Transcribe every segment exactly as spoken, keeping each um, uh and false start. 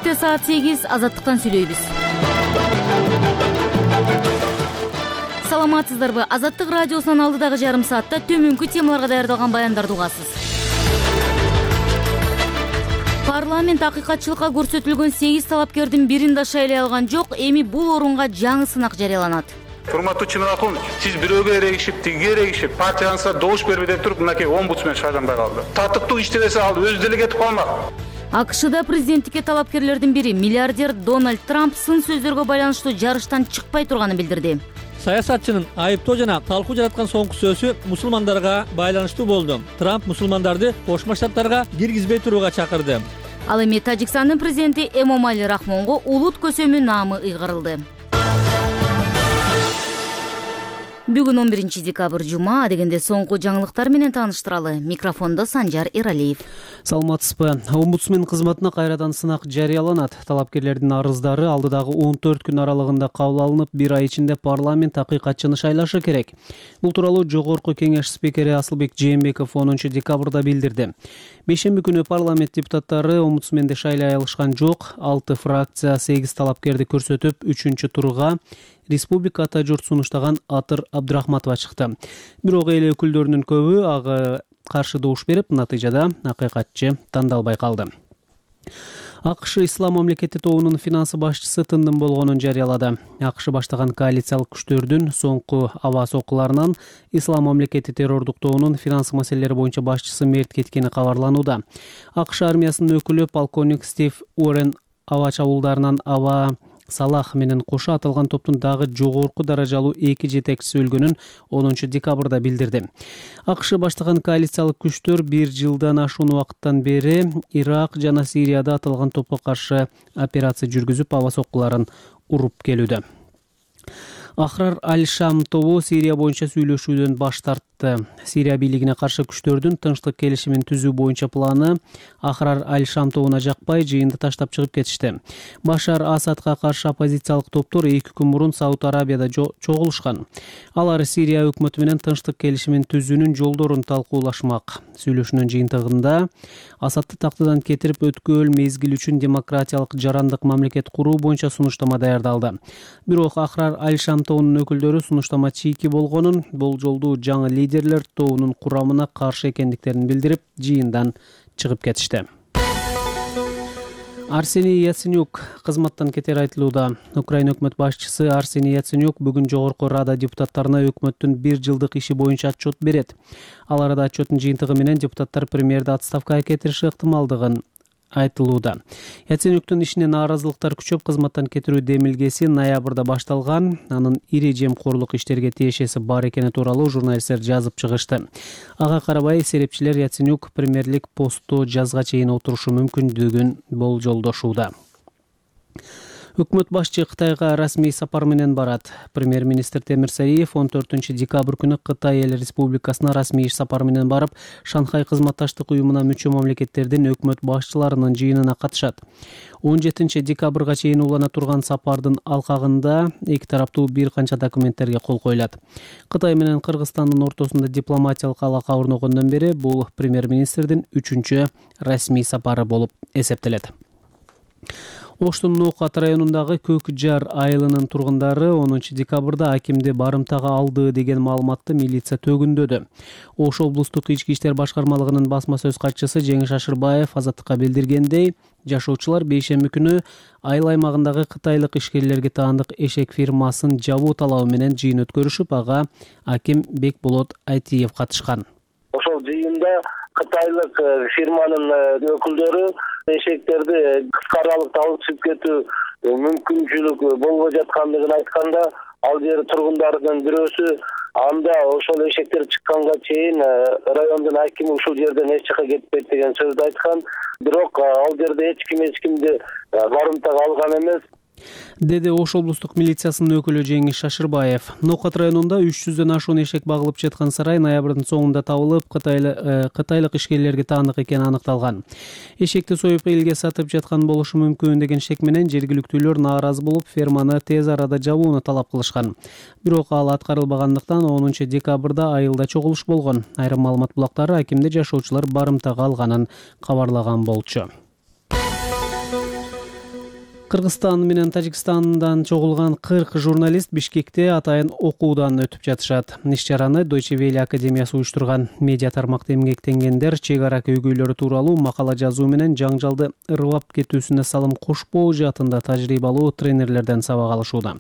Бишкекте саат сегиз, Азаттыктан сүйлөйбүз. Саламатсыздарбы? Азаттык радиосунун алдыдагы жарым саатта төмөнкү темаларга даярдалган баяндарды угасыз. Парламент акыйкатчылыкка көрсөтүлгөн сегиз талапкердин бирин да шайлай алган жок. Эми бул орунга жаңы сынак жарыяланат. Урматтуу Чынакулович, сиз бирөөгө эрегишип, тигиге эрегишип, партияңызга добуш бербей деп туруп, мынакей омбудсмен шайланбай калды. Татыктуу иштебесе ал өзү деле кетип калмак. АКШда президенттикке талапкерлердин бири миллиардер Дональд Трамп сын сөздөргө байланыштуу жарыштан чыкпай турганын билдирди. Саясатчынын айыптоо жана талкуу жараткан соңку сөзү мусулмандарга байланыштуу болду. Трамп мусулмандарды Кошмо Штаттарга киргизбей турууга чакырды. Ал эми Тажикстандын президенти Эмомали Рахмонго улут көсөмү наамы ыйгарылды. Бүгүн он биринчи декабрь жума, дегенде соңку жаңылыктар менен тааныштыралы. Микрофондо Санжар Иралиев. Саламатсызбы? Омбудсмен кызматына кайрадан сынак жарыяланат. Талапкерлердин арыздары алдыдагы он төрт күн аралыгында кабыл алынып, бир ай ичинде парламент акыйкатчыны шайлашы керек. Бул тууралуу Жогорку Кеңеш спикери Асылбек Жээнбеков онунчу декабрда билдирди. Бейшемби күнү парламент депутаттары омбудсменди шайлай алышкан жок. алты фракция сегиз талапкерди көрсөтүп, үчүнчү турга Республика ата журт сунуштаган Атыр Абдрахматова чыкты. Бирок эл өкүлдөрүнүн көбү ага каршы добуш берип, натыйжада акыйкатчы тандалбай калды. АКШ Ислам мамлекети тобунун финансы башчысы тындым болгонун жарыялады. АКШ баштаган коалициялык күчтөрдүн соңку аба соккуларынан Ислам мамлекети террордук тобунун финансы маселелери боюнча башчысы мерт кеткени кабарланууда. АКШ армиясынын өкүлү полковник Стив Уоррен аба чабуулдарынан аба Салах менен кошо аталган топтун дагы жогорку даражалуу эки жетекчиси өлгөнүн онунчу декабрда билдирди. АКШ баштаган коалициялык күчтөр бир жылдан ашуун убакыттан бери Ирак жана Сирияда аталган топко каршы операция жүргүзүп, аба соккуларын уруп келүүдө. Ахрар Аль-Шам тобу Сирия боюнча сүйлөшүүдөн баш тартты. Сирия бийлигине каршы күчтөрдүн тынчтык келишимин түзүү боюнча планы Ахрар Аль-Шам тобуна жакпай, жыйынды таштап чыгып кетишти. Башар Асадка каршы оппозициялык топтор эки күн мурун Сауд Арабияда чогулушкан. Алар Сирия өкмөтү менен тынчтык келишимин түзүүнүн жолдорун талкуулашмак. Сүйлөшүүнүн жыйынтыгында Асадты тактыдан кетирип, өткөл мезгил үчүн демократиялык жарандык мамлекет куруу боюнча сунуштама даярдалды. Бирок Ахрар Аль-Шам тобунун өкүлдөрү сунуштама чийки болгонун, болжолдуу жаңы лидерлер тобунун курамына каршы экендиктерин билдирип, жыйындан чыгып кетишти. Арсений Яценюк кызматтан кетери айтылууда. Украина өкмөт башчысы Арсений Яценюк бүгүн Жогорку Рада депутаттарына өкмөттүн бир жылдык иши боюнча отчет берет. Ал арада отчеттин жыйынтыгы менен депутаттар премьерди отставкага кетириши ыктымалдыгын айтылууда. Яценюктун ишине нааразылыктар күчөп, кызматтан кетирүү демилгеси ноябрда башталган. Анын ири жемкорлук иштерге тиешеси бар экени тууралуу журналисттер жазып чыгышты. Ага карабай, серепчилер Яценюк премьерлик посту жазга чейин отурушу мүмкүндүгүн болжолдошууда. Өкмөт башчы Кытайга расмий сапар менен барат. Премьер-министр Темир Сариев он төртүнчү декабрь күнү Кытай эл республикасына расмий иш сапар менен барып, Шанхай кызматташтык уюмуна мүчө мамлекеттердин өкмөт башчыларынын жыйынына катышат. он жетинчи декабрга чейин улана турган сапардын алкагында эки тараптуу бир канча документтерге кол коюлат. Кытай менен Кыргызстандын ортосунда дипломатиялык алака орногондон бери бул премьер-министрдин үчүнчү расмий сапары болуп эсептелет. Оштун Ноокат районундагы Көк Жар айылынын тургундары онунчу декабрда акимди барымтага алды деген маалыматты милиция төгүндөдү. Ош облустук ички иштер башкармалыгынын басма сөз катчысы Жеңиш Ашырбаев Азаттыкка билдиргендей, жашоочулар бейшемби күнү айыл аймагындагы кытайлык ишкерлерге таандык эшек фирмасын жабуу талабы менен жыйын өткөрүшүп, ага аким Бекболот Айтиев катышкан. Ошол жыйында кытайлык фирманын өкүлдөрү эшектерди кыска аралыкта алып чыгып кетүү мүмкүнчүлүк болбой жаткандыгын айтканда, ал жер тургундардын бирөөсү анда ошол эшектер чыкканга чейин райондун акими ушул жерден эч жака кетпейт деген сөздү айткан. Бирок ал жерде эч ким эч кимди барымтага алган эмес. деди Ош облустук милициясынын өкүлү Жеңиш Ашырбаев. Ноокат районунда үч жүздөн ашуун эшек багылып жаткан сарай ноябрдын соңунда табылып, кытайлык ишкерлерге таандык экени аныкталган. Эшекти союп элге сатып жаткан болушу мүмкүн деген шек менен жергиликтүүлөр нааразы болуп, ферманы тез арада жабууну талап кылышкан. Бирок ал аткарылбагандыктан онунчу декабрда айылда чогулуш болгон. Айрым маалымат булактары акимди жашоочулар барымтага алганын кабарлаган болчу. Кыргызстан менен Тажикстандан чогулган кырк журналист Бишкекте атайын окуудан өтүп жатышат. Иш-чараны Deutsche Welle академиясы уюштурган. Медиа тармакта эмгектенгендер чек ара көйгөйлөрү тууралуу макала жазуу менен жаңжалды ырбап кетүүсүнө салым кошпоо жаатында тажрыйбалуу тренерлерден сабак алышууда.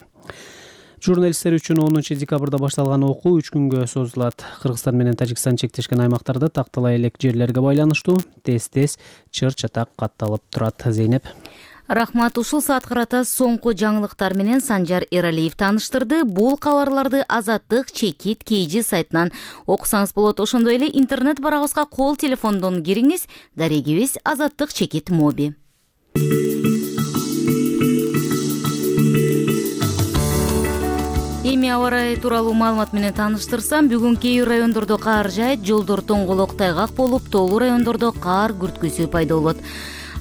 Журналисттер үчүн онунчу декабрда башталган окуу үч күнгө созулат. Кыргызстан менен Тажикстан чектешкен аймактарда тактала элек жерлерге байланыштуу тез-тез чыр-чатак катталып турат. Зейнеп. Рахмат, ушул саат карата соңку жаңылыктар менен Санжар Эралиев тааныштырды. Бул кабарларды Азаттык Чекит кей жи сайтынан окусаңыз болот. Ошондой эле интернет барабызга кол телефондон кириңиз. Дарегибиз Азаттык Чекит моби. Эми аба ырайы тууралуу маалымат менен тааныштырсам, бүгүн кээ бир райондордо каар жаайт, жолдор тоңголок тайгак болуп, тоолуу райондордо каар күрткүсү пайда болот.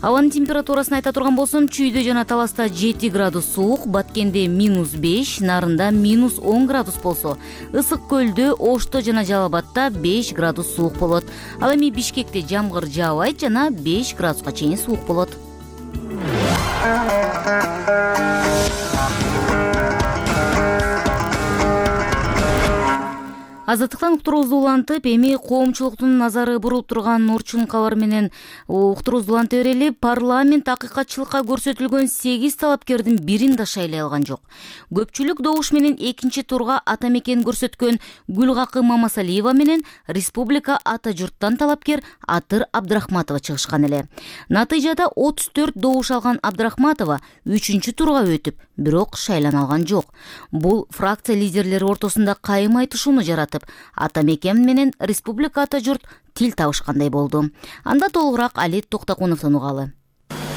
Абанын температурасын айта турган болсом, Чүйдө жана Таласта жети градус суук, Баткенде минус беш, Нарында минус он градус болсо, Ысык көлдө, Ошто жана Жалал Абадта беш градус суук болот. Ал эми Бишкекте жамгыр жаабайт жана беш градуска чейин суук болот. Азаттыктан уктуруубузду улантып, эми коомчулуктун назары бурулуп турган Орчун кабар менен уктуруубузду уланта берели. Парламент акыйкатчылыкка көрсөтүлгөн сегиз талапкердин бирин да шайлай алган жок. Көпчүлүк добуш менен экинчи турга ата мекен көрсөткөн Гүлгакы Мамасалиева менен Республика ата журттан талапкер Атыр Абдрахматова чыгышкан эле. Натыйжада отуз төрт добуш алган Абдрахматова үчүнчү турга өтүп, бирок шайлана алган жок. Бул фракция лидерлери ортосунда кайым айтышууну жаратып, ата мекен менен Республика ата журт тил табышкандай болду. Анда толугураак Алет Токтокуновдон угалы.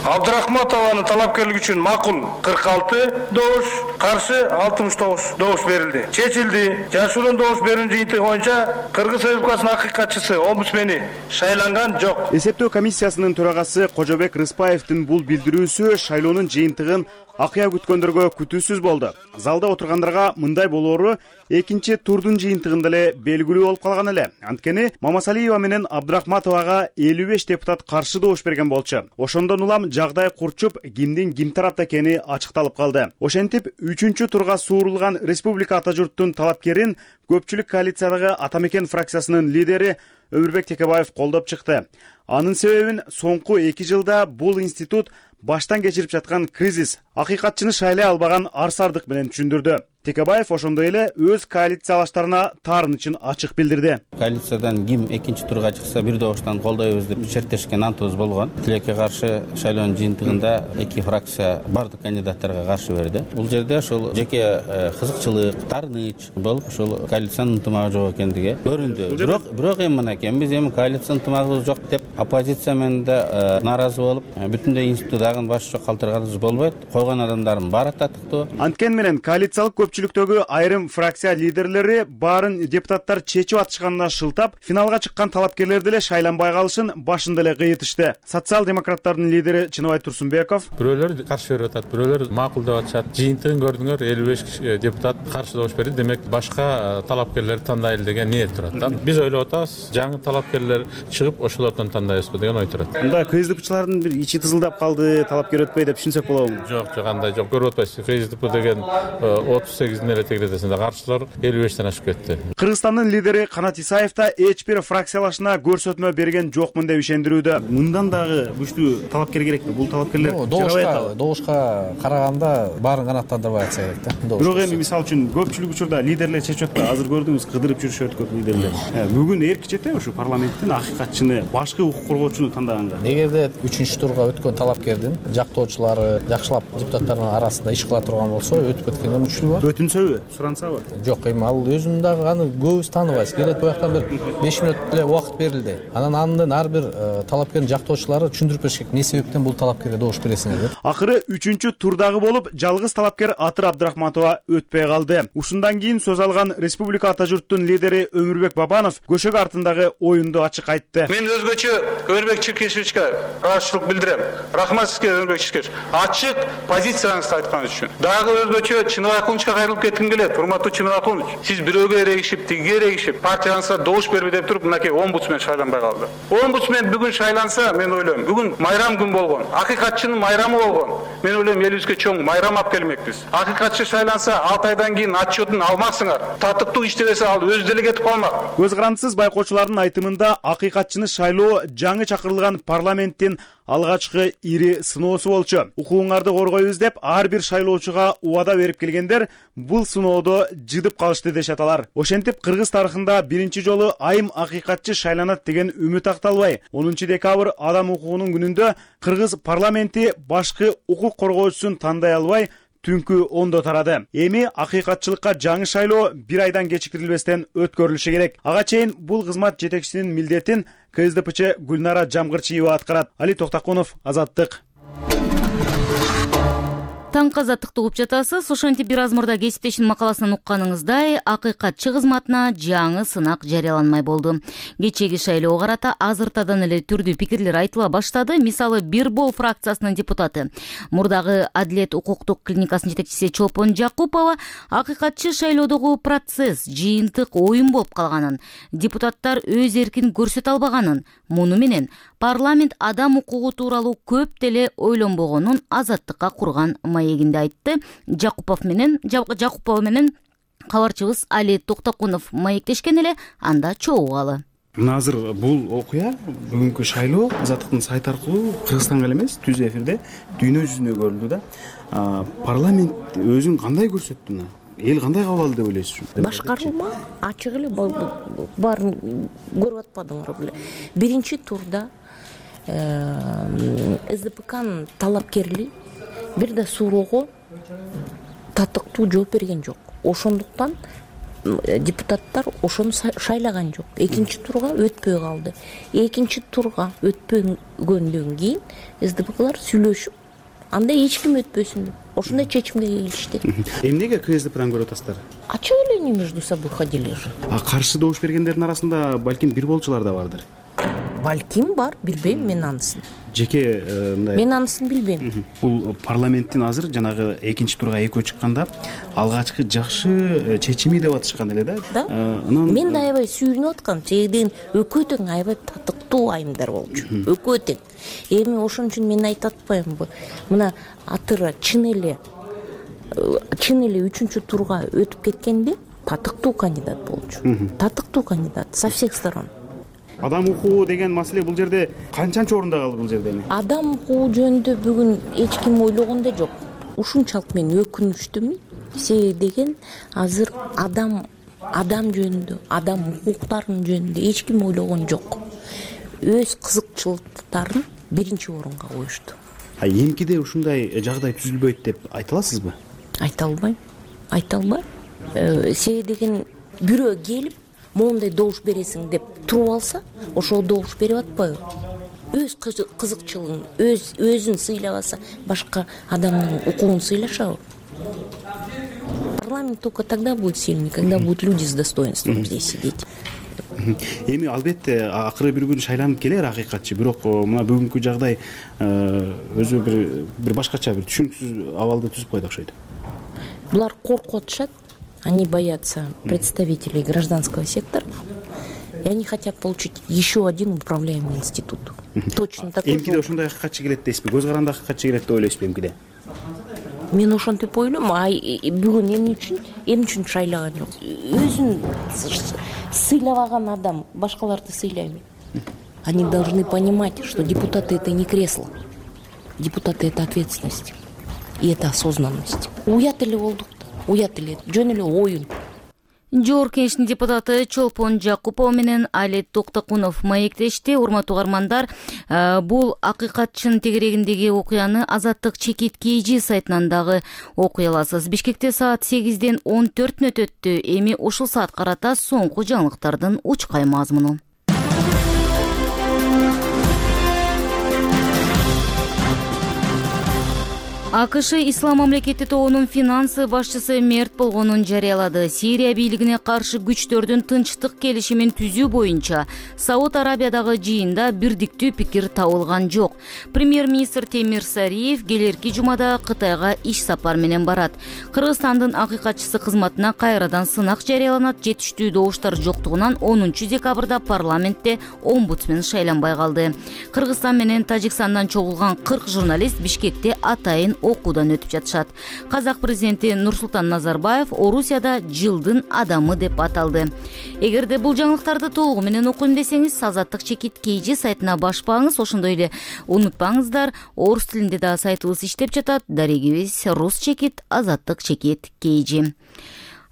Абдрахматованын талапкерлиги үчүн макул кырк алты добуш, каршы алтымыш тогуз добуш берилди. Чечилди. Жашыруун добуш берүү жыйынтыгы боюнча Кыргыз Республикасынын акыйкатчысы, омбудсмени шайланган жок. Эсептөө комиссиясынын төрагасы Кожобек Рыспаевдин бул билдирүүсү шайлоонун жыйынтыгын акыя күткөндөргө күтүүсүз болду. Залда отургандарга мындай болоору экинчи турдун жыйынтыгында эле белгилүү болуп калган эле. Анткени Мамасалиева менен Абдрахматовага элүү беш депутат каршы добуш берген болчу. Ошондон улам жагдай курчуп, кимдин ким тарапта экени ачыкталып калды. Ошентип, үчүнчү турга суурулган Республика ата журттун талапкерин көпчүлүк коалициядагы ата мекен фракциясынын лидери Өмүрбек Текебаев колдоп чыкты. Анын себебин соңку эки жылда бул институт баштан кечирип жаткан кризис, акыйкатчыны шайлай албаган арсардык менен түшүндүрдү. Текебаев ошондой эле өз коалициялаштарына таарынычын ачык билдирди. Коалициядан ким экинчи турга чыкса бир добуштан колдойбуз деп шерттешкен антыбыз болгон. Тилекке каршы шайлоонун жыйынтыгында эки фракция бардык кандидаттарга каршы берди. Бул жерде ошол жеке кызыкчылык, таарыныч болуп, ошол коалициянын ынтымагы жок экендиги көрүндү. Бирок бирок эми мынакей биз эми коалициянын ынтымагыбыз жок деп оппозиция менен да нааразы болуп, бүтүндөй институттагы башчы калтырганыбыз болбойт. Койгон адамдардын баары татыктуу. Анткени менен коалициялык көпчүлүктөгү айрым фракция лидерлери баарын депутаттар чечип атышканына шылтап, финалга чыккан талапкерлерди эле шайланбай калышын башында эле кыйытышты. Социал-демократтардын лидери Чыныбай Турсунбеков: бирөөлөр каршы берип атат, бирөөлөр макул деп атышат. Жыйынтыгын көрдүңөр, элүү беш депутат каршы добуш берди. Демек, башка талапкерлерди тандайлы деген ниет турат да. Биз ойлоп атабыз, жаңы талапкерлер чыгып, ошолордон тандайбызбы деген ой турат. Мында КСДПчылардын бир ичи тызылдап калды, талапкер өтпөй деп түшүнсөк болобу? Жок, жок, андай жок. Көрүп атпайсыз. КСДП деген отуз сегиздин эле тегеретесинде каршылар элүү бештен ашып кетти. Кыргызстандын лидери Канат Исаев да эч бир фракциялашына көрсөтмө берген жокмун деп ишендирүүдө. Мындан дагы күчтүү талапкер керекпи? Бул талапкерлер добушка добушка караганда баарын канааттандырбай атса керек да. Бирок эми мисалы үчүн көпчүлүк учурда лидерлер чечип атпайбы? Азыр көрдүңүз, кыдырып жүрүшөт көп лидерлер. Бүгүн эрки четеби ушу парламенттин акыйкатчыны, башкы укук коргоочуну тандаганга? Эгерде үчүнчү турга өткөн талапкердин жактоочулары жакшылап депутаттардын арасында иш кыла турган болсо, өтүп кеткенге мүмкүнчүлүгү бар. Өтүнсөбү, сурансабы? Жок, эми ал өзүнүн дагы аны көбүз тааныбайбыз. Келет бояктан бир беш мүнөт эле убакыт берилди. Анан андын ар бир талапкердин жактоочулары түшүндүрүп бериш керек, эмне себептен бул талапкерге добуш бересиңер деп. Акыры үчүнчү турдагы болуп, жалгыз талапкер Атыр Абдрахматова өтпөй калды. Ушундан кийин сөз алган Республика ата журттун лидери Өмүрбек Бабанов көшөк артындагы оюнду ачык айтты. Мен өзгөчө Өмүрбек Чиркешевичке каршылык билдирем. Рахмат сизге, Өмүрбек Чиркешевич. Ачык позицияңызды айткан үчүн. Дагы өзгөчө Чыныбай Кулчка айрылып кетким келет. Урматтуу Чынар Акунович, сиз бирөөгө эрегишип, тигиге эрегишип, партияңызга добуш берби деп туруп, мынакей омбудсмен шайланбай калды. Омбудсмен бүгүн шайланса, мен ойлойм, бүгүн майрам күн болгон, акыйкатчынын майрамы болгон. Мен ойлойм, элибизге чоң майрам алып келмекпиз. Акыйкатчы шайланса, алты айдан кийин отчетун алмаксыңар. Татыктуу иштебесе ал өз деле кетип калмак. Көз карандысыз байкоочулардын айтымында акыйкатчыны шайлоо жаңы чакырылган парламенттин алгачкы ири сыноосу болчу. Укугуңарды коргойбуз деп ар бир шайлоочуга убада берип келгендер бул сыноодо жыдып калышты дешет алар. Ошентип кыргыз тарыхында биринчи жолу айым акыйкатчы шайланат деген үмүт акталбай, онунчу декабрь адам укугунун күнүндө кыргыз парламенти башкы укук коргоочусун тандай албай түнкү ондо тарады. Эми акыйкатчылыкка жаңы шайлоо бир айдан кечикирилбестен өткөрүлүшү керек. Ага чейин бул кызмат жетекчисинин милдетин ка эс де пэ че Гүлнара Жамгырчиева аткарат. Али Токтакунов, Азаттык. Таңкы азаттыкты угуп жатасыз. Ошентип бир аз мурда кесиптешинин макаласынан укканыңыздай, акыйкатчы кызматына жаңы сынак жарыяланмай болду. Кечеги шайлоого карата азыртадан эле түрдүү пикирлер айтыла баштады. Мисалы, Бир бол фракциясынын депутаты, мурдагы Адилет укуктук клиникасынын жетекчиси Чолпон Жакупова акыйкатчы шайлоодогу процесс жыйынтык оюн болуп калганын, депутаттар өз эркин көрсөтө албаганын, муну менен парламент адам укугу тууралуу көп деле ойлонбогонун Азаттыкка курган маегинде айтты. Жакупов менен Жакупова менен кабарчыбыз Али Токтакунов маектешкен эле, анда чогуугалы. Мына азыр бул окуя, бүгүнкү шайлоо Азаттыктын сайты аркылуу Кыргызстанга эле эмес, түз эфирде дүйнө жүзүнө көрүлдү да. Парламент өзүн кандай көрсөттү? Эл кандай кабыл алды деп ойлойсуз? Башкарылма ачык эле баарын көрүп атпадыңар беле. Биринчи турда эс де пэ канын талапкерли бир да суроого татыктуу жооп берген жок. Ошондуктан депутаттар ошону шайлаган жок. Экинчи турга өтпөй калды. Экинчи турга өтпөгөндөн кийин эс де пэ калар сүйлөшүп, анда эч ким өтпөсүн деп ошондой чечимге келишти. Эмнеге ка эс де пэдан көрүп атасыздар? Ачык эле не между собой ходили же. А каршы добуш бергендердин арасында балким бир болчулар да бардыр. Балким бар, билбейм мен анысын. Жеке мындай. Мен анысын билбейм. Бул парламенттин азыр жанагы экинчи турга экөө чыкканда алгачкы жакшы чечими деп атышкан эле да. Да. Мен да аябай сүйүнүп аткам. Чегден өкө тең аябай татыктуу айымдар болчу. Өкө тең. Эми ошон үчүн мен айтып атпаймынбы? Мына атыра чын эле чын эле үчүнчү турга өтүп кеткенде татыктуу кандидат болчу. Татыктуу кандидат со всех сторон. Адам укугу деген маселе бул жерде канчанчы орунда калды бул жерде? Адам укугу жөнүндө бүгүн эч ким ойлогон да жок. Ушунчалык мен өкүнүчтүмүн. Себеби деген азыр адам адам жөнүндө, адам укуктарынын жөнүндө эч ким ойлогон жок. Өз кызыкчылыктарын биринчи орунга коюшту. А эмкиде ушундай жагдай түзүлбөйт деп айта аласызбы? Айта албайм. Айта албайм. Себеби деген бирөө келип моундай добуш бересиң деп туруп алса, ошол добуш берип атпайбы? Өз кызыкчылыгын, өз өзүн сыйлабаса, башка адамдын укугун сыйлашабы? Парламент только тогда будет сильный, когда будут люди с достоинством здесь сидеть. Эми албетте акыры бир күн шайланып келер акыйкатчы, бирок мына бүгүнкү жагдай өзү бир бир башкача бир түшүнүксүз абалды түзүп койду окшойт. Булар коркуп атышат. Они боятся представителей гражданского сектора, и они хотят получить еще один управляемый институт. Точно такой же. Эмкиде ошондой акыйкатчы келет дейсизби? Көз каранды акыйкатчы келет деп ойлойсузбу эмкиде? Мен ошентип ойлойм, а бүгүн эмне үчүн, эмне үчүн шайлаган жок? Өзүн сыйлабаган адам башкаларды сыйлайбы? Они должны понимать, что депутаты — это не кресло. Депутаты — это ответственность. И это осознанность. Уят эле болдук. Уят эле, жөн эле оюн. Жогорку Кеңештин депутаты Чолпон Жакупова менен Али Токтакунов маектешти. Урматтуу угармандар, бул акыйкатчынын тегерегиндеги окуяны Азаттык чекит kg сайтынан дагы окуй аласыз. Бишкекте саат сегизден он төрт өттү. Эми ушул саат карата соңку жаңылыктардын учкай мазмуну. АКШ Ислам мамлекети тобунун финансы башчысы мерт болгонун жарыялады. Сирия бийлигине каршы күчтөрдүн тынчтык келишимин түзүү боюнча Сауд Арабиядагы жыйында бирдиктүү пикир табылган жок. Премьер-министр Темир Сариев келерки жумада Кытайга иш сапар менен барат. Кыргызстандын акыйкатчысы кызматына кайрадан сынак жарыяланат. Жетиштүү добуштар жоктугунан онунчу декабрда парламентте омбудсмен шайланбай калды. Кыргызстан менен Тажикстандан чогулган кырк журналист Бишкекте атайын окуудан өтүп жатышат. Казак президенти Нурсултан Назарбаев Орусияда жылдын адамы деп аталды. Эгерде бул жаңылыктарды толугу менен окуйм десеңиз, Азаттык чекит kg сайтына башпаңыз. Ошондой эле унутпаңыздар, орус тилинде да сайтыбыз иштеп жатат. Дарегибиз рус чекит, Азаттык чекит kg.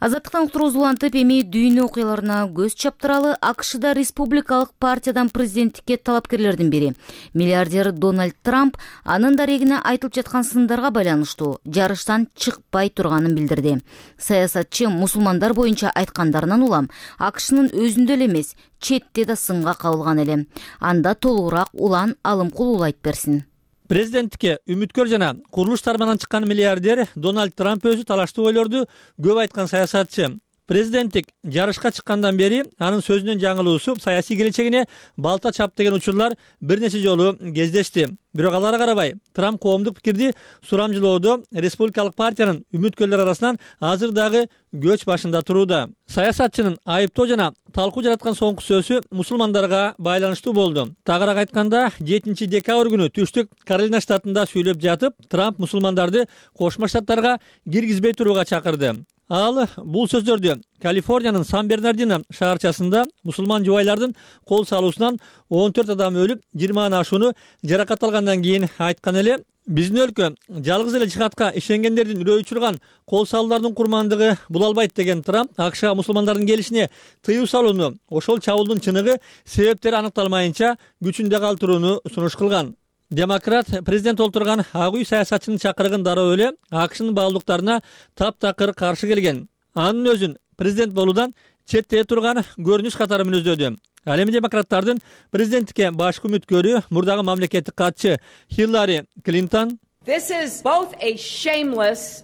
Азаттыктан уктуруубузду улантып, эми дүйнө окуяларына көз чаптыралы. АКШда республикалык партиядан президенттикке талапкерлердин бири миллиардер Дональд Трамп анын дарегине айтылып жаткан сындарга байланыштуу жарыштан чыкпай турганын билдирди. Саясатчы мусулмандар боюнча айткандарынан улам АКШнын өзүндө эле эмес, четте да сынга кабылган эле. Анда толугураак Улан Алымкул уулу айтып берсин. Президенттикке үмүткөр жана курулуш тармагынан чыккан миллиардер Дональд Трамп өзү талаштуу ойлорду көп айткан саясатчы. Президенттик жарышка чыккандан бери анын сөзүнүн жаңылуусу саясий келечегине балта чап деген учурлар бир нече жолу кездешти. Бирок аларга карабай, Трамп коомдук пикирди сурамжылоодо республикалык партиянын үмүткөрлөр арасынан азыр дагы көч башында турууда. Саясатчынын айыптоо жана талкуу жараткан соңку сөзү мусулмандарга байланыштуу болду. Тагыраак айтканда, жетинчи декабрь күнү Түштүк Каролина штатында сүйлөп жатып, Трамп мусулмандарды Кошмо Штаттарга киргизбей турууга чакырды. Ал бул сөздөрдү Калифорниянын Сан-Бернардино шаарчасында мусулман жубайлардын кол салуусунан он төрт адам өлүп, жыйырмадан ашууну жаракат алгандан кийин айткан эле. Биздин өлкө жалгыз эле жихадка ишенгендердин үрөй учурган кол салуулардын курмандыгы бул албайт деген Трамп АКШга мусулмандардын келишине тыюу салууну, ошол чабуулдун чыныгы себептери аныкталмайынча күчүндө калтырууну сунуш кылган. Демократ президент олтурган ак үй саясатчынын чакырыгын дароо эле АКШнын баалуулуктарына таптакыр каршы келген. Анын өзүн президент болуудан четте турган көрүнүш катары мүнөздөдү. Ал эми демократтардын президенттикке башкы үмүткөрү мурдагы мамлекеттик катчы Хиллари Клинтон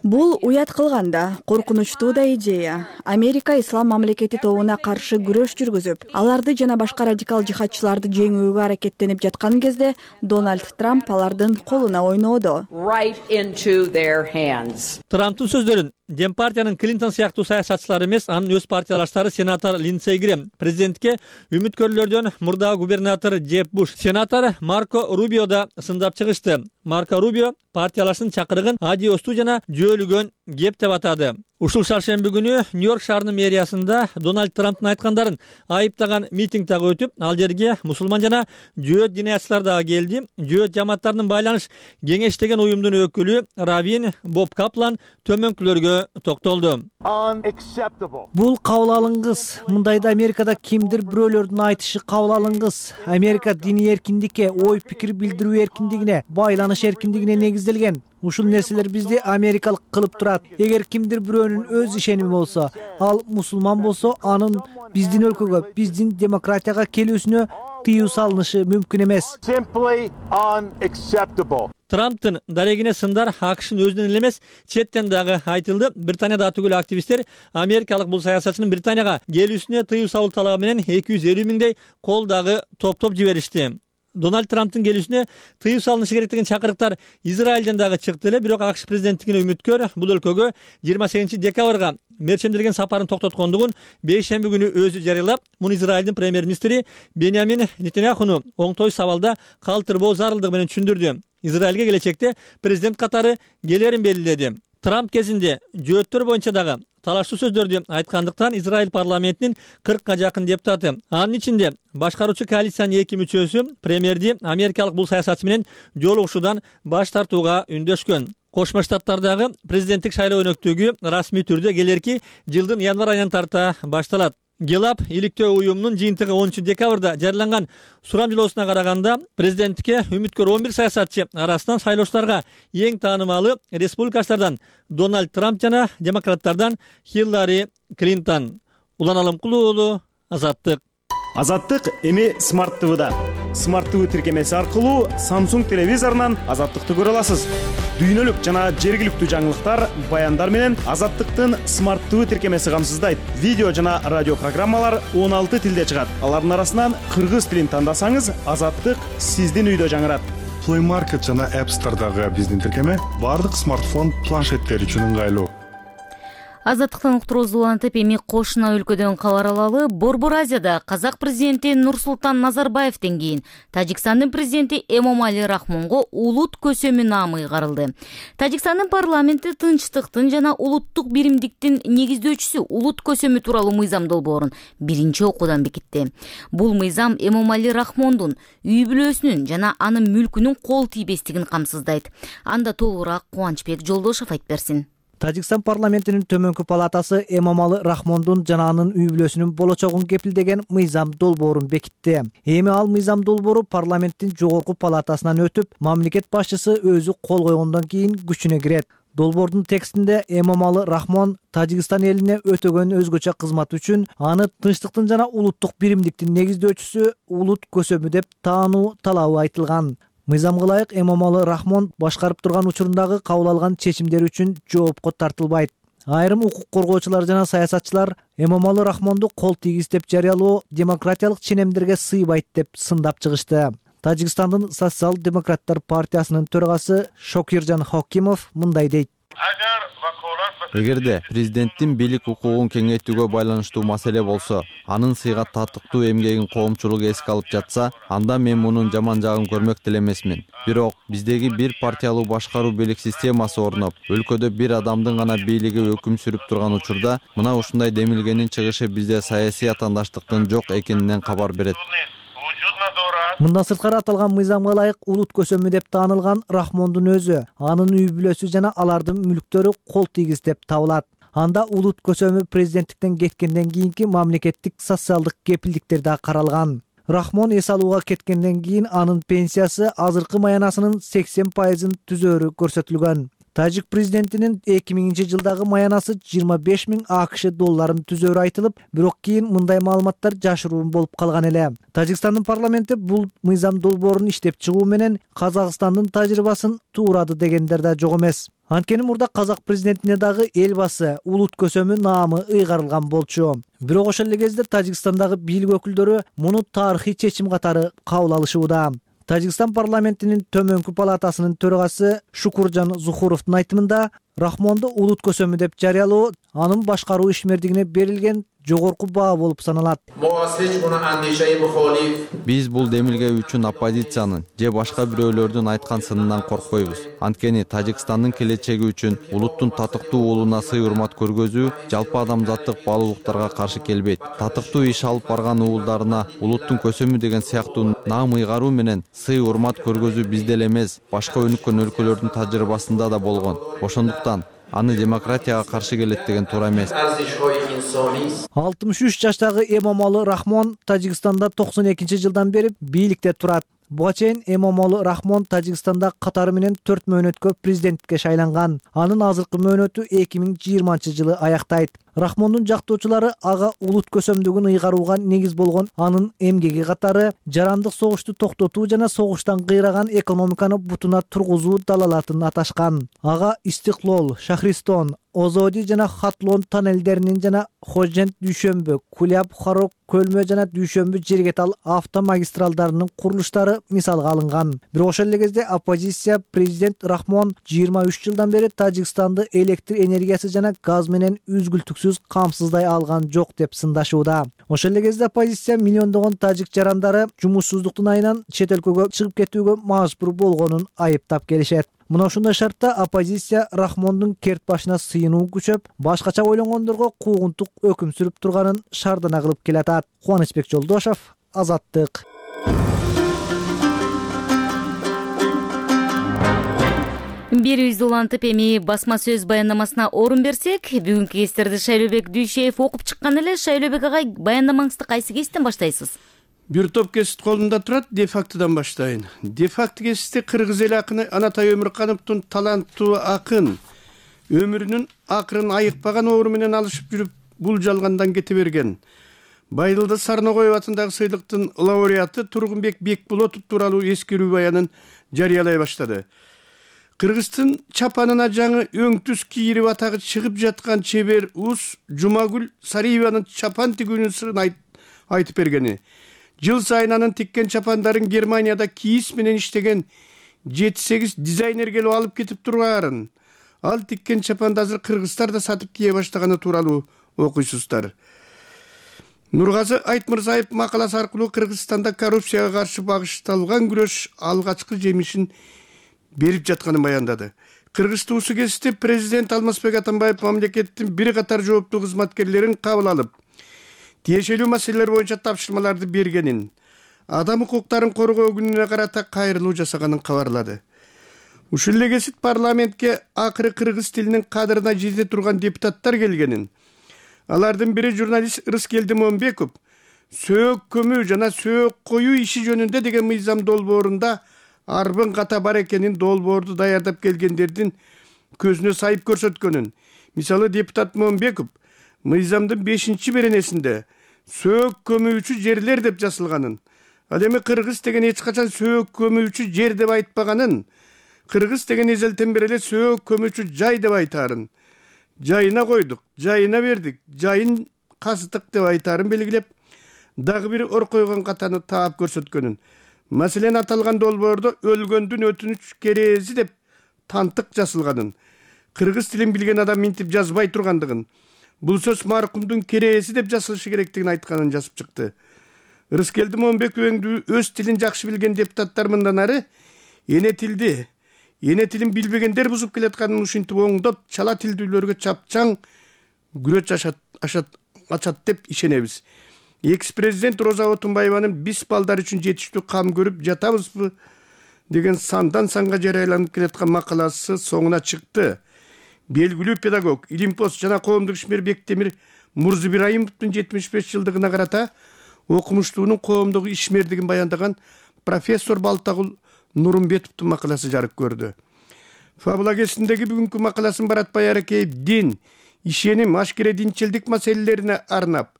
Бул уят кылганда коркунучтуу да идея. Америка Ислам мамлекети тобуна каршы күрөш жүргүзүп, аларды жана башка радикал жихадчыларды жеңүүгө аракеттенип жаткан кезде Дональд Трамп алардын колуна ойноодо. Трамптын сөздөрүн Демпартиянын Клинтон сыяктуу саясатчылар эмес, анын өз партиялаштары сенатор Линдсей Грэм, президентке үмүткөрлөрдөн мурдагы губернатор Джеб Буш, сенатор Марко Рубио да сындап чыгышты. Марко Рубио партиялаштын чакырыгын адиостуу жана жөөлүгөн кеп деп атады. Ушул шаршемби күнү Нью-Йорк шаарынын мэриясында Дональд Трамптын айткандарын айыптаган митинг дагы өтүп, ал жерге мусулман жана жөөт диниячылар дагы келди. Жөөт жамааттарынын байланыш кеңеш деген уюмдун өкүлү Равин Боб Каплан төмөнкүлөргө токтолду. Бул кабыл алынгыс. Мындайда Америкада кимдир бирөөлөрдүн айтышы кабыл алынгыс. Америка диний эркиндикке, ой пикир билдирүү эркиндигине, байланыш эркиндигине негизделген. Ушул нерселер бизди америкалык кылып турат. Эгер кимдир бирөөнүн өз ишеними болсо, ал мусулман болсо, анын биздин өлкөгө, биздин демократияга келүүсүнө тыюу салынышы мүмкүн эмес. Трамптын дарегине сындар АКШнын өзүнөн эле эмес, четтен дагы айтылды. Британияда түгүл активисттер америкалык бул саясатчынын Британияга келүүсүнө тыюу салуу талабы менен эки жүз элүү миңдей кол дагы топтоп жиберишти. Дональд Трамптын келүүсүнө тыюу салынышы керек деген чакырыктар Израилден дагы чыкты эле, бирок АКШ президенттигине үмүткөр бул өлкөгө жыйырма сегизинчи декабрга мерчемделген сапарын токтоткондугун бейшемби күнү өзү жарыялап, муну Израилдин премьер-министри Беньямин Нетаньяхуну оңтой сабалда калтырбоо зарылдыгы менен түшүндүрдү. Израилге келечекте президент катары келерин белгиледи. Трамп кезинде жөөттөр боюнча дагы талаштуу сөздөрдү айткандыктан Израиль парламентинин кыркка жакын депутаты, анын ичинде башкаруучу коалициянын эки мүчөсү премьерди америкалык бул саясатчы менен жолугушуудан баш тартууга үндөшкөн. Кошмо Штаттардагы президенттик шайлоо өнөктүгү расмий түрдө келерки жылдын январь айынан тарта башталат. Гелап иликтөө уюмунун жыйынтыгы онунчу декабрда жарыяланган сурамжылоосуна караганда, президенттикке үмүткөр он бир саясатчы арасынан шайлоочуларга эң таанымалы республикачылардан Дональд Трамп жана демократтардан Хиллари Клинтон. Улан Алымкул уулу, Азаттык. Азаттык эми Smart ти ви-да. Smart ти ви тиркемеси аркылуу Samsung телевизорунан Азаттыкты көрө аласыз. Дүйнөлүк жана жергиликтүү жаңылыктар, баяндар менен Азаттыктын Smart ти ви тиркемеси камсыздайт. Видео жана радио программалар он алты тилде чыгат. Алардын арасынан кыргыз тилин тандасаңыз, Азаттык сиздин үйдө жаңырат. Play Market жана App Store'дагы биздин тиркеме бардык смартфон, планшеттер үчүн ыңгайлуу. Азаттыктан уктуруубуз улантып, эми кошуна өлкөдөн кабар алалы. Борбор Азияда казак президенти Нурсултан Назарбаевден кийин Тажикстандын президенти Эмомали Рахмонго улут көсөмү наамы ыйгарылды. Тажикстандын парламенти тынчтыктын жана улуттук биримдиктин негиздөөчүсү улут көсөмү тууралуу мыйзам долбоорун биринчи окуудан бекитти. Бул мыйзам Эмомали Рахмондун үй бүлөсүнүн жана анын мүлкүнүн кол тийбестигин камсыздайт. Анда толугураак Кубанычбек Жолдошов айтып берсин. Тажикстан парламентинин төмөнкү палатасы Эмомали Рахмондун жана анын үй бүлөсүнүн болочогун кепилдеген мыйзам долбоорун бекитти. Эми ал мыйзам долбоору парламенттин жогорку палатасынан өтүп, мамлекет башчысы өзү кол койгондон кийин күчүнө кирет. Долбоордун текстинде Эмомали Рахмон Тажикстан элине өтөгөн өзгөчө кызмат үчүн аны тынчтыктын жана улуттук биримдиктин негиздөөчүсү улут көсөмү деп таануу талабы айтылган. Мыйзамга ылайык Эмомали Рахмон башкарып турган учурундагы кабыл алган чечимдери үчүн жоопко тартылбайт. Айрым укук коргоочулар жана саясатчылар Эмомали Рахмонду кол тийгиз деп жарыялоо демократиялык ченемдерге сыйбайт деп сындап чыгышты. Тажикстандын Социал-демократтар партиясынын төрагасы Шокиржан Хокимов мындай дейт. Эгерде президенттин бийлик укугун кеңейтүүгө байланыштуу маселе болсо, анын сыйга татыктуу эмгегин коомчулук эске алып жатса, анда мен мунун жаман жагын көрмөк деле эмесмин. Бирок биздеги бир партиялуу башкаруу бийлик системасы орноп, өлкөдө бир адамдын гана бийлиги өкүм сүрүп турган учурда, мына ушундай демилгенин чыгышы бизде саясий атаандаштыктын жок экенинен кабар берет. Мындан сырткары аталган мыйзамга ылайык улут көсөмү деп таанылган Рахмондун өзү, анын үй бүлөсү жана алардын мүлктөрү кол тийгиз деп табылат. Анда улут көсөмү президенттиктен кеткенден кийинки мамлекеттик социалдык кепилдиктер да каралган. Рахмон эс алууга кеткенден кийин анын пенсиясы азыркы маянасынын сексен пайызын түзөөрү көрсөтүлгөн. Тажик президентинин эки миңинчи жылдагы маянасы жыйырма беш миң АКШ долларын түзөөрү айтылып, бирок кийин мындай маалыматтар жашыруун болуп калган эле. Тажикстандын парламенти бул мыйзам долбоорун иштеп чыгуу менен Казакстандын тажрыйбасын туурады дегендер да жок эмес. Анткени мурда казак президентине дагы эл басы улут көсөмү наамы ыйгарылган болчу. Бирок ошол эле кезде Тажикстандагы бийлик өкүлдөрү муну тарыхый чечим катары кабыл алышууда. Тажикстан парламентинин төмөнкү палатасынын төрагасы Шукуржан Зухуровдун айтымында, Рахмонду улут көсөмү деп жарыялоо анын башкаруу ишмердигине берилген жогорку баа болуп саналат. Биз бул демилге үчүн оппозициянын же башка бирөөлөрдүн айткан сынынан коркпойбуз. Анткени Тажикстандын келечеги үчүн улуттун татыктуу уулуна сый урмат көргөзүү жалпы адамзаттык баалуулуктарга каршы келбейт. Татыктуу иш алып барган уулдарына улуттун көсөмү деген сыяктуу наам ыйгаруу менен сый урмат көргөзүү бизде эле эмес, башка өнүккөн өлкөлөрдүн тажрыйбасында да болгон. Ошондуктан аны демократияга каршы келет деген туура эмес. алтымыш үч жаштагы Эмомали Рахмон Тажикстанда токсон экинчи жылдан бери бийликте турат. Буга чейин Эмомали Рахмон Тажикстанда катары менен төрт мөөнөткө президенттикке шайланган. Анын азыркы мөөнөтү эки миң жыйырманчы жылы аяктайт. Рахмондун жактоочулары ага улут көсөмдүгүн ыйгарууга негиз болгон анын эмгеги катары жарандык согушту токтотуу жана согуштан кыйраган экономиканы бутуна тургузуу далалатын аташкан. Ага Истиклол, Шахристон, Озоди жана Хатлон тоннелдеринин жана Хожент Дүйшөмбү, Куляб Харок Көлмө жана Дүйшөмбү Жергетал автомагистралдарынын курулуштары мисалга алынган. Бирок ошол эле кезде оппозиция президент Рахмон жыйырма үч жылдан бери Тажикстанды электр энергиясы жана газ менен үзгүлтүксүз камсыздай алган жок деп сындашууда. Ошол эле кезде оппозиция миллиондогон тажик жарандары жумушсуздуктун айынан чет өлкөгө чыгып кетүүгө мажбур болгонун айыптап келишет. Мына ушундай шартта оппозиция Рахмондун керт башына сыйынуу күчөп, башкача ойлонгондорго куугунтук өкүм сүрүп турганын шардана кылып келатат. Кубанычбек Жолдошов, Азаттык. Берүүбүздү улантып, эми басма сөз баяндамасына орун берсек, бүгүнкү кестерди Шайлообек Дүйшеев окуп чыккан эле. Шайлообек агай, баяндамаңызды кайсы кесиптен баштайсыз? Бир топ кесип колумда турат, де-фактыдан баштайын. Де-факты кесипти кыргыз эл акыны Анатай Өмүркановдун таланттуу акын өмүрүнүн акырын айыкпаган оору менен алышып жүрүп, бул жалгандан кете берген. Байылды Сарногоев атындагы сыйлыктын лауреаты Тургунбек Бекболотов тууралуу эскерүү баянын жарыялай баштады. Кыргыздын чапанына жаңы өңтүз кийирип атагы чыгып жаткан чебер уз Жумагүл Сариеванын чапан тигүүнүн сырын айтып бергени. Жыл сайын анын тиккен чапандарын Германияда кийиз менен иштеген жети сегиз дизайнер келип алып кетип тургарын. Ал тиккен чапанды азыр кыргыздар да сатып кие баштаганы тууралуу окуйсуздар. Нургазы Айтмырзаев макаласы аркылуу Кыргызстанда коррупцияга каршы багышталган күрөш алгачкы жемишин берип жатканын баяндады. Кыргыз туусу кесипте президент Алмазбек Атамбаев мамлекеттин бир катар жооптуу кызматкерлерин кабыл алып, тиешелүү маселелер боюнча тапшырмаларды бергенин, адам укуктарын коргоо күнүнө карата кайрылуу жасаганын кабарлады. Ушул эле кесип парламентке акыры кыргыз тилинин кадырына жете турган депутаттар келгенин, алардын бири журналист Рыскелди Момбеков сөөк көмүү жана сөөк коюу иши жөнүндө деген мыйзам долбоорунда арбын ката бар экенин, долбоорду даярдап келгендердин көзүнө сайып көрсөткөнүн. Мисалы депутат Момбеков мыйзамдын бешинчи беренесинде сөөк көмүүчү жерлер деп жазылганын, ал эми кыргыз деген эч качан сөөк көмүүчү жер деп айтпаганын, кыргыз деген эзелтен бери эле сөөк көмүүчү жай деп айтаарын, жайына койдук, жайына бердик, жайын каздык деп айтаарын белгилеп, дагы бир ор койгон катаны таап көрсөткөнүн. Маселен, аталган долбоордо өлгөндүн өтүнүч керези деп тантык жазылганын, кыргыз тилин билген адам минтип жазбай тургандыгын, бул сөз маркумдун керези деп жазылышы керектигин айтканын жазып чыкты. Рыскелди Момбековдун өз тилин жакшы билген депутаттар мындан ары эне тилди, эне тилин билбегендер бузуп келатканын ушинтип оңдоп, чала тилдүүлөргө чапчаң күрөч ачат деп ишенебиз. Экс-президент Роза Отунбаеванын биз балдар үчүн жетиштүү кам көрүп жатабызбы деген сандан санга жарыяланып келаткан макаласы соңуна чыкты. Белгилүү педагог, илимпоз жана коомдук ишмер Бектемир Мурзибирайымовдун жетимиш беш жылдыгына карата окумуштуунун коомдук ишмердигин баяндаган профессор Балтагул Нурумбетовдун макаласы жарык көрдү. Фабула кезиндеги бүгүнкү макаласын Баратбай Аракеев дин, ишеним, ашкере динчилдик маселелерине арнап,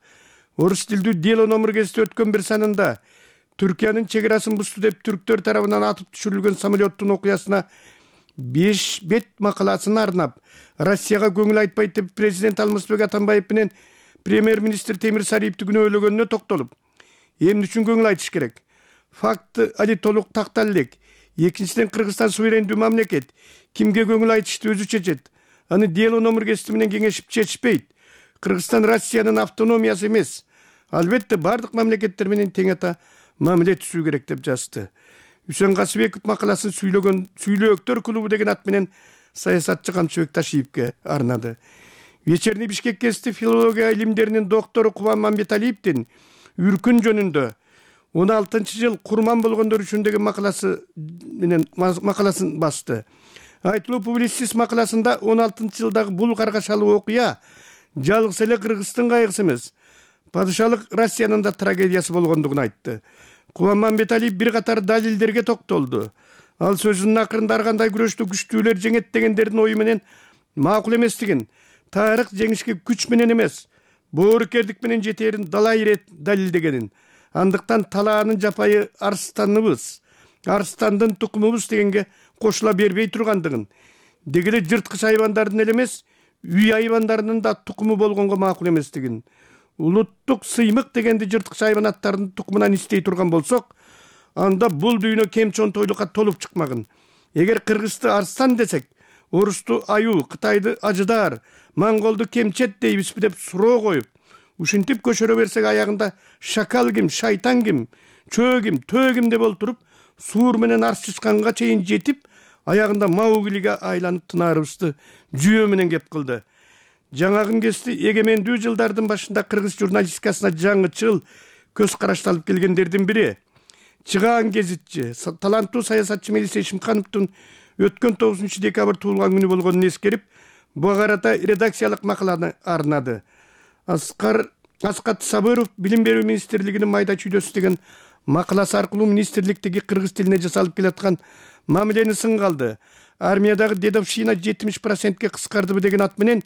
орус тилдүү дело номер кезинде өткөн бир санында Түркиянын чегарасын бузду деп түрктөр тарабынан атып түшүрүлгөн самолеттун окуясына беш бет макаласын арнап, Россияга көңүл айтпайт деп президент Алмазбек Атамбаев менен премьер-министр Темир Сариевди күнөөлөгөнүнө токтолуп, эмне үчүн көңүл айтыш керек? Факты али толук тактал элек. Экинчиден, Кыргызстан суверендүү мамлекет, кимге көңүл айтышты өзү чечет. Аны дело номер кезинде менен кеңешип чечпейт. Кыргызстан Россиянын автономиясы эмес. Албетте бардык мамлекеттер менен тең ата мамиле түзүү керек деп жазды. Үсөн Касыбеков макаласын сүйлөгөн Сүйлөөктөр клубу деген ат менен саясатчы Камчыбек Ташиевке арнады. Вечерний Бишкек кезинде филология илимдеринин доктору Кубан Мамбеталиевдин Үркүн жөнүндө он алтынчы жыл курман болгондор үчүн деген макаласы менен макаласын басты. Айтылуу публицист макаласында он алтынчы жылдагы бул каргашалуу окуя жалгыз эле Кыргыздын кайгысы эмес, падышалык Россиянын да трагедиясы болгондугун айтты. Кубан Мамбеталиев бир катар далилдерге токтолду. Ал сөзүнүн акырында ар кандай күрөштү күчтүүлөр жеңет дегендердин ою менен макул эместигин, тарых жеңишке күч менен эмес, боорукердик менен жетээрин далай ирет далилдегенин, андыктан талаанын жапайы арстаныбыз, арстандын тукумубуз дегенге кошула бербей тургандыгын, деги эле жырткыч айбандардын эле эмес, үй айбандарынын да тукуму болгонго макул эместигин, улуттук сыймык дегенди жырткыч айбанаттардын тукумунан истей турган болсок, анда бул дүйнө кем чонтойлукка толуп чыкмагын. Эгер кыргызды арстан десек, орусту аюу, Кытайды ажыдар, монголду кемчет дейбизби деп суроо коюп, ушинтип көчөрө берсек аягында шакал ким, шайтан ким, чөө ким, төө ким деп олтуруп, суур менен арчышканга чейин жетип, аягында Мауглиге айланып тынаарыбызды жүйө менен кеп кылды. Жаңагын кести эгемендүү жылдардын башында кыргыз журналистикасына жаңычыл көз карашталып келгендердин бири, чыгаан гезитчи, таланттуу саясатчы Мелиса Ишимкановдун өткөн тогузунчу декабрь туулган күнү болгонун эскерип, буга карата редакциялык макаланы арнады. Аскар Аскат Сабыров Билим берүү министрлигинин майда чүйдөсү деген макаласы аркылуу министрликтеги кыргыз тилине жасалып келаткан мамилени сынга алды. Армиядагы дедовщина жетимиш процентке кыскардыбы деген ат менен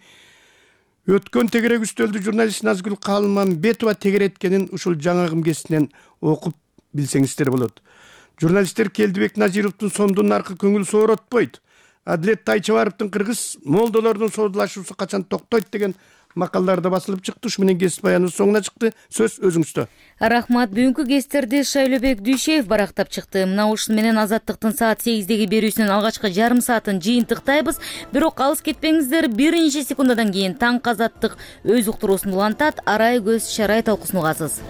өткөн тегерек үстөлдү журналист Назгүл Калмамбетова тегереткенин ушул жаңы кемгесинен окуп билсеңиздер болот. Журналисттер Келдибек Назировдун сондун наркы көңүл сооротпойт. Адилет Тайчыбаровдун кыргыз молдолордун соодулашуусу качан токтойт деген макалаларда басылып чыкты. Ушу менен кесип баяныбыз соңуна чыкты. Сөз өзүңүздө. Рахмат. Бүгүнкү кестерди Шайлообек Дүйшеев барактап чыкты. Мына ушун менен Азаттыктын саат сегиздеги берүүсүнүн алгачкы жарым саатын жыйынтыктайбыз. Бирок алыс кетпеңиздер. Бир нече секундадан кийин Таң Азаттык өз уктуруусун улантат. Арай көз Шарай талкуусун угасыз.